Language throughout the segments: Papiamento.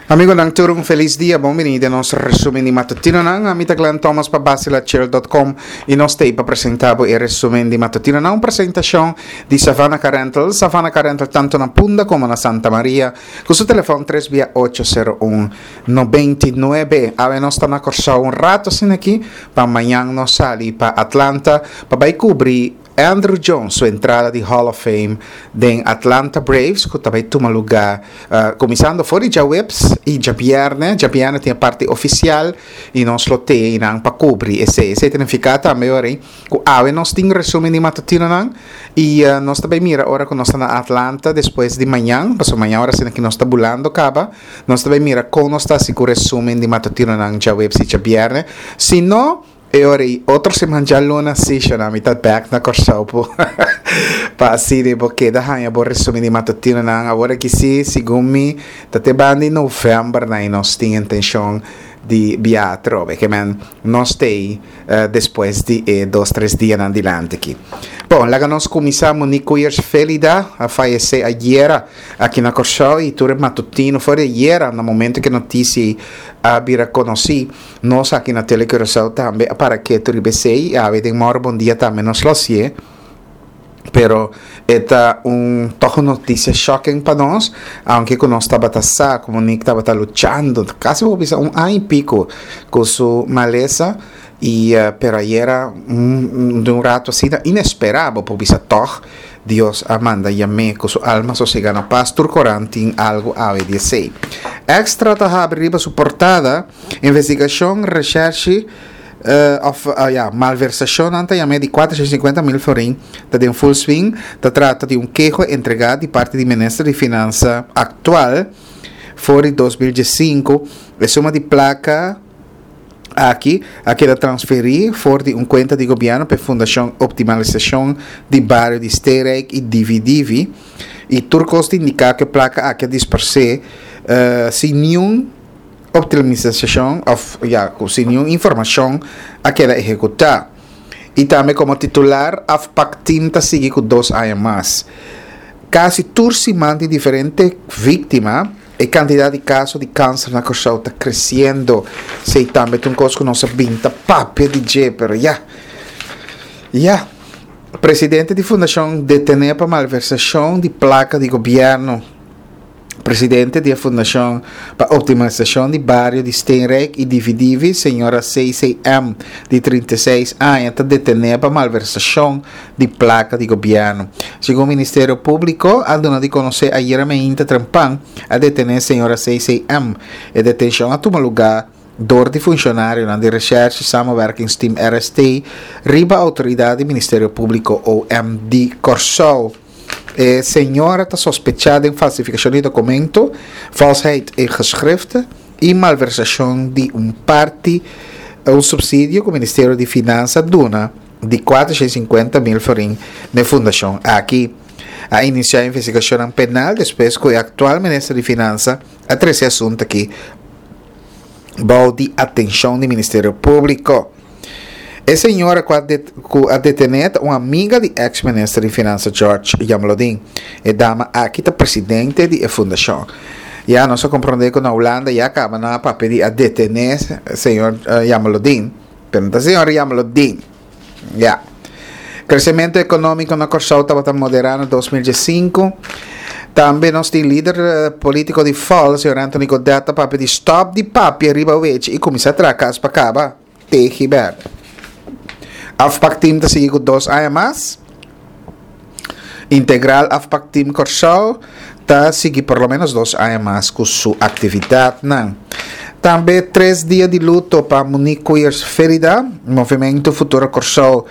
Amigonan tur un felis dia, bon bini den nos resumen di matutinonan. Ami ta Glenn Thomas pa basilachel.com y nos t'ey pa presenta bo e resumen di matutinonan. Un presentacion di Savannah Car Rental. Savannah Car Rental tanto na Punda como na Santa Maria cu su telefon tres bia ocho sero un 99. Awe nos ta na Corsou un rato asina aki pa mañan nos sali pa Atlanta pa bay cubri Andruw Jones su entrada di Hall of Fame den Atlanta Braves ku ta bai tuma lugá kuminsando for di djaweps i djabièrnè. Djabièrnè tin e parti ofisial i nos lo te einan pa kubri esei. Esei ta nifiká tambe ora ei ku awe nos tin resumen di matutinonan i nos ta bai mira ora ku nos ta na Atlanta despues di mañan, pasobra mañan ora asina ki nos ta bulando kaba, nos ta bai mira kon nos ta hasi ku resumen di matutinonan djaweps i djabièrnè. Si no. E ora ei otro siman djaluna si shona mi ta bek na Kòrsou po pa asina bo keda haña bo resumen di matutinonan. Awor aki si segun mi ta te banda di novèmber nan i nos tin intenshon di biaha atrobe. Ke men nos t'ei despues di e dos tres dianan dilanti aki. Bon, laga nos kuminsá. Monique Koeyers Felida a fayesé ayera aki na Kòrsou i tur e matutino for di ayera na momento ku e notisia ei a bira konosí. Nos aki na Tele Curaçao tambe a para ketu riba esei i awe den Moro Bon Dia tambe nos lo hasié. Pero e ta un tòg un notisia shocking pa nos, aunke ku nos tabata sa ku Monique tabata luchando kasi por bisa un aña i piko ku su malesa i pero ayera un di un rato asina inesperá bo por bisa tòg Dios a manda yam'é ku su alma sosegá na pas. Tur koran tin algu awe di esei. Extra ta habri riba su portada. Investigashon Reshèrshi òf ya malversashonnan ta yam'é di 450 mil florin ta den full swing. Ta trata di un keho entregá di parti di minister di Finansa aktual for di 2015. E suma di plaka aki a keda transferí for di un kuenta di gobièrnu pa e Fundashon Optimalisashon di Bario di Steerijk i Divi Divi i tur kos ta indiká ku e plaka aki a disparsé sin niun optimalisacion of ya cu sin niun informacion a keda ehecuta. Y tambe como titular afpakteam ta sigui cu dos aña mas. Casi tur siman tin diferente victima, e cantidad di caso di cancer na Corsou ta creciendo. Esey tambe ta un cos cu nos a bin ta papia di dje, pero ya, ya. Presidente di fundacion detene pa malversacion di placa di gobierno. Presidente di e Fundashon pa Optimalisashon di Bario di Steenrijk i Divi Divi, señora CCM, di 36 aña, ta detené pa malversashon di plaka di gobièrnu. Segun Ministerio Públiko a duna di konosé ayera meinta trempan, a detené señora CCM. E detenshon a tuma lugá dor di funshonarionan di Recherche Samenwerkingsteam, RST, riba outoridat di Ministerio Públiko, OM, di Kòrsou. E señora ta sospechá den falsifikashon di dokumento, valsheid in geschriften, i malversashon di un parti un supsidio ku Ministerio di Finansa duna di 450 mil florin n'e fundashon aki. A inisiá investigashonnan penal despues ku e aktual minister di Finansa a trese e asuntu aki bou di atenshon di Ministerio Públiko. E señora cu a cu a detene ta un amiga di ex minister di Finansa George Jamlodin. E dama aki ta presidente di e fundacion. Ya nos a comprende cu na Hulanda ya caba nan a papia di a detene señor Jamlodin, pero no ta señor Jamlodin. Ya. Crecemento economico na Corsou tabata modera na 2015. Tambe nos tin lider politico di FOL, señor Anthony Godett, ta papia di stop di papia riba wechi y cuminsa traha cas pa caba. Tegibert. Afpakteam ta sigui ku dos aña mas. Integral Afpakteam Kòrsou ta sigui por lo menos dos aña mas ku su aktividatnan. Tambe tres dia di luto pa Monique Koeyers Ferida, Movementu Futuro Kòrsou,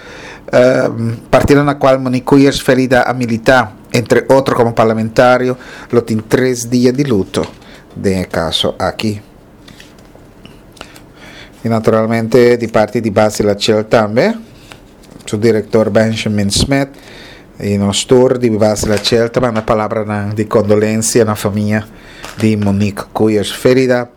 partido na kual Monique Koeyers Ferida a militá, entre otro komo parlamentario, lo tin tres dia di luto den e kaso aki. Y naturalmente di parti di Basi Lachel tambe, su director Benjamin Smith y nos tur di Basi Lachel ta manda palabranan di condolencia na famia di Monique Koeyers Ferida.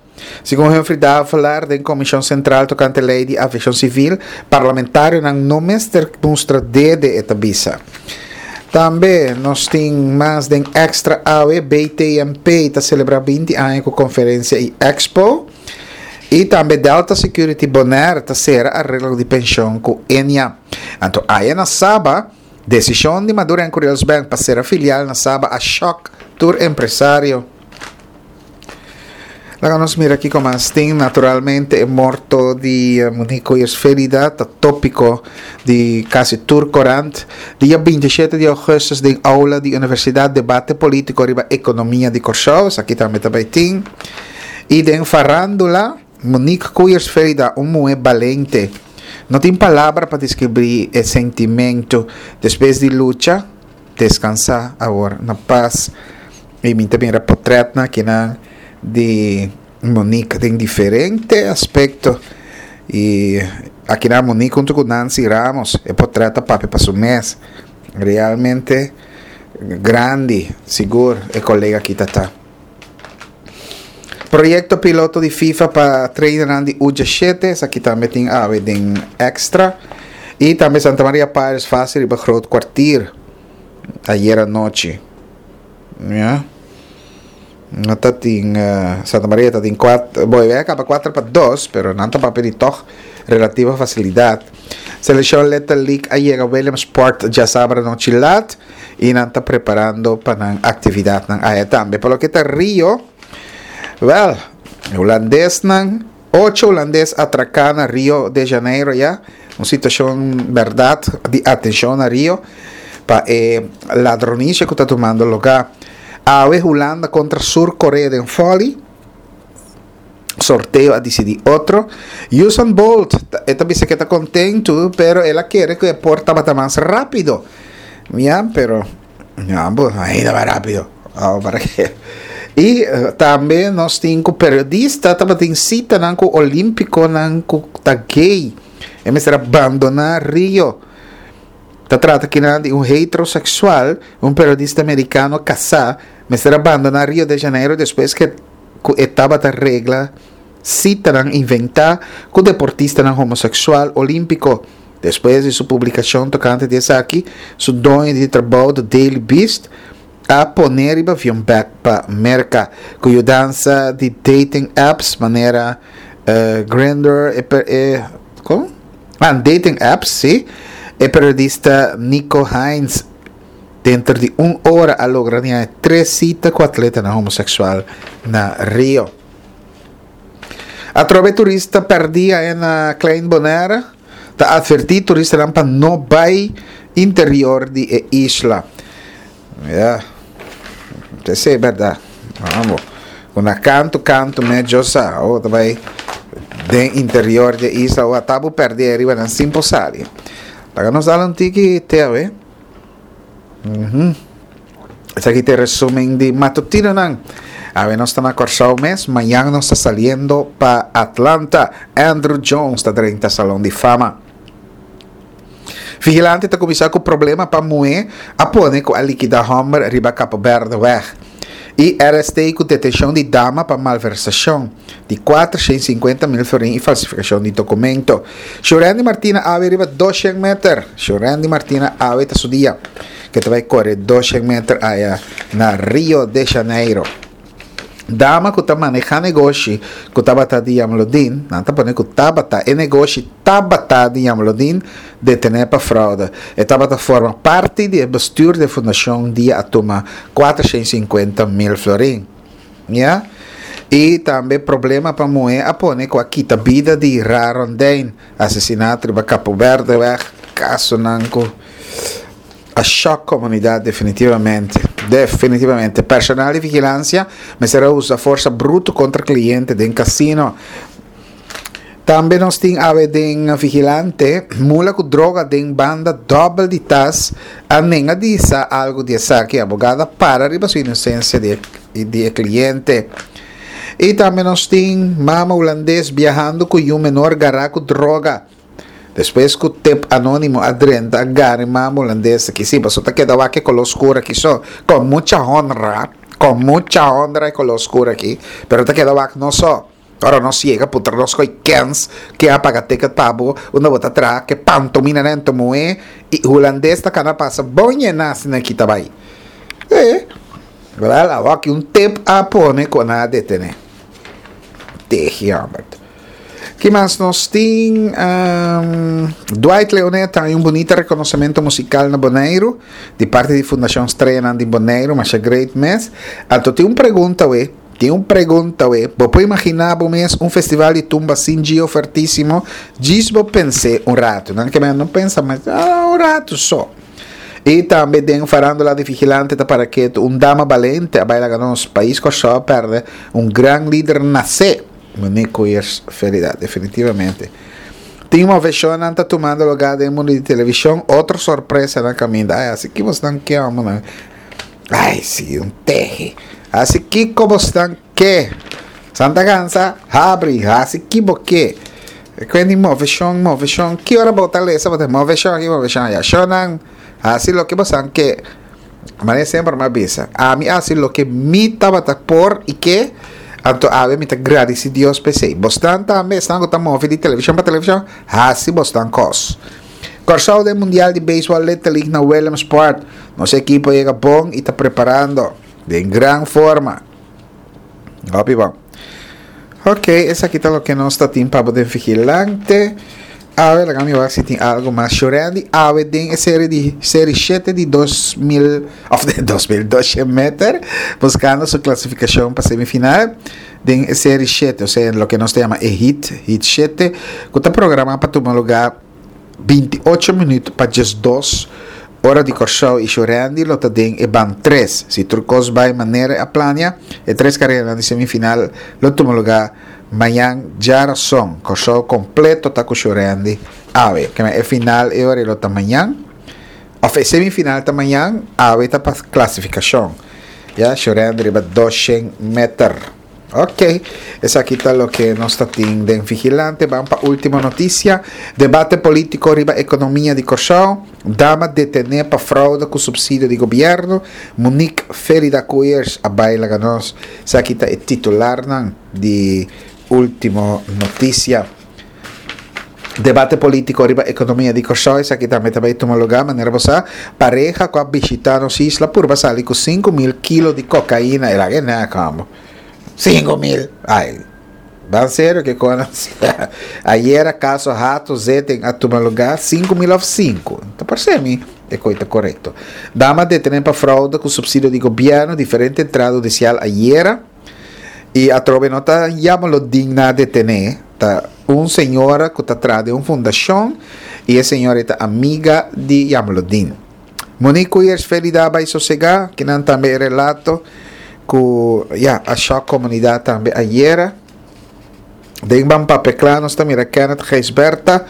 Segun Humphrey Davelaar den Comision Central tocante ley di aviacion civil, parlamentarionan no mester mustra dede e ta bisa. Tambe nos tin mas den Extra awe, BTMP ta celebra 20 aña cu conferencia y expo. Y tambe Delta Security Bonaire ta cera arreglo di pension cu Ennia. Anto aya na Saba, decision di Maduro en Curiels Bank pa cera filial na Saba a shock tur empresario. Laga nos mira kiko mas tin. Naturalmente e morto di Monique Koyers Felida ta tópiko di kasi tur korant. Dia 27 di ougùstùs den aula di universidat debate polítiko riba ekonomia di Kòrsou. Esaki tambe ta bai tin. I den farándula, Monique Koyers Felida, un muhé balente. No tin palabra pa deskribí e sentimentu despues di lucha. Descansá awor na pas. I mi ta mira potretnan akinan di Monique den diferente aspecto. I akinan Monique hunto cu Nancy Ramos. E potret ta papia pa su mes. Realmente grandi, sigur e colega aki ta ta. Proyecto piloto di FIFA pa trainernan di U17, esaki tambe tin awe den extra. Y tambe Santa Maria Pirates fácil riba Groot Kwartier ayer anochi. Ja. No ta tin uh, Santa Maria ta tin 4, boy, a caba 4 pa 2, pero nan ta papia di toch relativa facilidad. Selección Little League a yega Williamsport djasabra anochi laat. Y nan ta preparando pa nan actividadnan aya tambe. Pa loke ta Rio, wel, hulandesnan, ocho hulandes atraca na Rio de Janeiro ya. Un situacion berdad di atencion na Rio pa e ladronicia cu ta tumando lugar. Awe Hulanda contra Sur Korea den Folly. Sorteo a disidí otro. Usain Bolt, e ta bisa ku e ta kontentu, pero el a kere ku e por tabata mas rápido. Ya, pero ya, bo, ainda mas rápido. Oh, para ke? I tambe nos tin ku periodista tabatin sitanan ku olímpikonan ku ta gay. E mester a bandoná Rio. Ta trata kinan di un heteroseksual, un periodista merikano kasá, mester a bandoná Rio de Janeiro despues ku ku e tabata regla sitanan inventá ku deportistanan homoseksual olímpiko. Despues di su publikashon tokante di esaki, su doño di trabou The Daily Beast a pon'é riba avion bèk pa Merka. Ku yudansa di dating apps manera Grindr, e e kon? Ah, dating apps, sí, e periodista Nico Hines Denter di un ora a logra di haña tres sita ku atletanan homoseksual na Rio. Atrobe turista pèrdí aña na Klein Bonaire ta atvertí turistanan pa no bai interior di e isla. Ya, esei bèrdat. Amo, ku na kantu kantu medio sa, abo ta bai den interior di e isla, abo ta bo pèrdí ariba nan sin por sali. Laga nos dal un tiki te awe. Esaki ta e resumen di matutinonan. Awe nos ta na Kòrsou mes, mañan nos ta saliendo pa Atlanta. Andruw Jones ta drenta Salon di Fama. Vigilante ta kuminsá ku problema pa muhé a pone ku a likidá hòmber riba Kapo Bèrdeweg. I RST ku detenshon di dama pa malversashon di 450 mil florin i falsifikashon di dokumento. Shurandy Martina awe riba 200 meter. Shurandy Martina awe ta su dia ke ta bai kore 200 meter aya na Rio de Janeiro. Dama ku ta maneha negoshi ku tabata di Jamlodin, nan ta pone ku tabata, e negoshi tabata di Jamlodin, detené pa fraude. E tabata forma parti di e bestuur di e fundashon dia a tuma 450 mil florin. Ya. I tambe problema pa muhé a pone ku a kita bida di Ra Rondijn, asesinato riba Kapo Berdeweg, kasonan ku. A shock comunidad definitivamente. Definitivamente. Personal di vigilancia mester a usa forsa bruto contra cliente den casino. Tambe nos tin awe den vigilante, mula cu droga den banda dobbel di tas a nenga di sa algo di esaki. Abogado a para riba su inocencia di e cliente. Y tambe nos tin mama Hulandes biahando cu yu menor gara cu droga. Despues ku tip anónimo a drenta a gana e mama hulandes aki. Sí, pasobra ta keda wak e koló skur aki so. Kon mucha honra, kon mucha honra e koló skur aki, pero ta keda wak no so. Ora nos yega puntra nos koe kens ke a paga ticket pa bo, unda bo ta traha, ke pantomina nan ta muhé i hulandes ta kana pasa bon yená asina ki ta bai. E, wel awor ki un tip a pone ku nan a detené. Tehi hòmber. Ki mas nos tin? Dwight Leonet ta haña un bunita rekonosementu musikal na Boneiru di parti di Fundashon Streanan di Boneiru, masha great mes. Anto tin un pregunta we, tin un pregunta we, bo por imaginá bo mes un festival di tumba sin Gio Fuertisimo? Djis bo pens'é un ratu. Nan ke men no pensa mas, un ratu so. I tambe den farándula di Vigilante ta para ketu un dama balente a bai laga nos pais Kòrsou a pèrdè un gran lider nasé. Monique Koeyers Ferida, definitivamente. Tin moveshonnan ta tumando lugá den mundu di televishon, otro sorpresa na kaminda. Ai, hasi ki bosnan ke homonan? Ai, si, un tehe. Hasi kiko bosnan ke? Santa Gansa, habri, hasi ki bo ke. Kwen di moveshon, moveshon. Ki ora bo ta lesa bo ta moveshon aki, moveshon aya. Shonnan, hasi loke bosnan ke. Manera semper mi a bisa, ami a hasi loke mi tabata por i ke, anto awe mi ta gradisi Dios pa esei. Bosnan tambe, esnan ku ta move di televishon pa televishon, hasi bosnan kos. Kòrsou den Mundial di Beisbòl Little League na Williamsport. Nos ekipo a yega bon i ta preparando den gran forma. Hopi bon. Ok, esaki ta loke nos ta tin pa bo den Vigilante. Awe, laga mi wak si tin algo mas. Shurendi awe den e serie di serie shete di 2000 of de 2200 meter, buscando su clasificacion pa semifinal den e serie shete, osea loke nos ta yama e heat, heat shete, cu ta programa pa tuma lugar 28 minuut pa 12 ora di Kòrsou i Shurendi lo ta den e ban tres. Si tur kos bai manera a plania, e tres kareranan di semifinal lo tuma lugá mañan djarason. Kòrsou kompleto ta ku Shurendi awe. Keme e final e ora lo ta mañan, òf e semifinal ta mañan, awe ta pa klasifikashon. Ya, Shurendi riba 200 meter. Ok, esaki ta loke nos ta tin den Vigilante. Ban pa ultimo noticia. Debate politico riba economia di Corsou. Dama detene pa fraude cu subsidio di gobierno. Monique Felida Koeyers a bay laga nos. Esaki ta e titularnan di ultimo noticia. Debate politico riba economia di Corsou, esaki tambe ta bay tuma lugar, manera bo sa, pareha cu a bishita nos isla purba sali cu 5000 kilo di cocaina, e laga e nek homber, 5000, ay, ban serio ke con asina, ayera caso Hato Zeten a tuma lugar, 5000 of 5, ta parce mi e coi ta corecto. Dama detene pa fraude cu subsidio di gobierno, diferente entrada hudicial ayera. Y atrobe no ta yama lo digna detene, ta un señora cu ta traha den un fundacion y e señora ta amiga di Jamlodin. Monique Koeyers Felida bay sosega, kinan tambe e relato cu ya a shock comunidad tambe ayera. Den Ban Papia Kla nos ta mira Kenneth Gijsbertha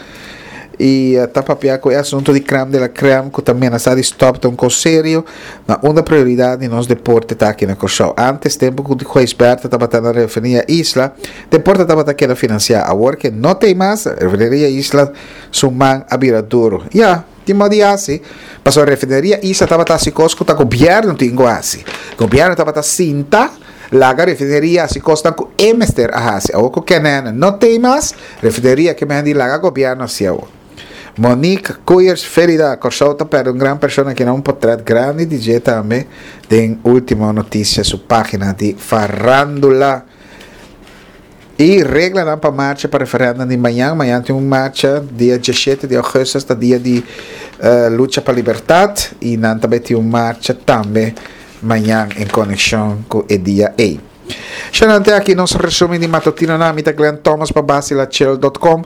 y ta papia cu e asunto di crème de la crème cu ta menasa di stop ta un cos serio na unda prioridad di nos deporte ta aki na Corsou. Antes tempo cu Gijsbertha tabata na Refineria Isla, deporte tabata keda financia. Awor ke no t'ey mas, Refineria Isla su man a bira duro. Ya, tin modo di haci, pasobra Refineria Isla tabata haci cos cu ta gobierno tin cu haci. Gobierno tabata sinta. Laga refineria hasi kosnan ku e mester a hasi. Awor ku Kenene no tei mas, refineria ke men di laga gobièrnu hasi awor. Monique Koeyers Ferida, Kòrsou ta pèrdè un gran persona kina un potrèt grandi di dje tambe den Ultimo Noticia su página di farándula. I reglanan pa marcha pa referèndum di mañan. Mañan tin un marcha dia diesshete di ougùstùs ta dia di lucha pa libertat i nan ta bai tin un marcha tambe mañan en konekshon ku e dia ei. Shanante aki nos resumen di matutinonan. Mi ta Glenn Thomas pa basilachel dot com.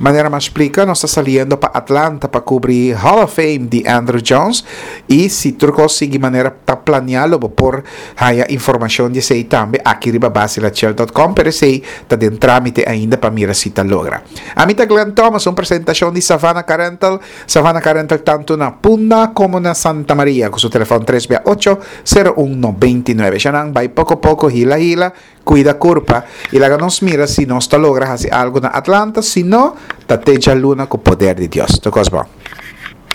Manera mi a splika nos ta saliendo pa Atlanta pa kubri Hall of Fame di Andruw Jones i si tur kos sigui manera ta plania lo bo por Haya informacion di esey tambe aki riba basilachel dot com, pero esey ta den tramite ainda pa mira si ta logra. Ami ta Glenn Thomas, un presentacion di Savannah Car Rental, Savannah Car Rental tanto na Punda como na Santa Maria, cu su telefon tres bia ocho, sero un 99. Shanan bay poco poco, hila hila, cuida curpa y laga nos mira si nos ta logra haci algo na Atlanta, si no, ta te djaluna cu poder di Dios. Tur cos bon.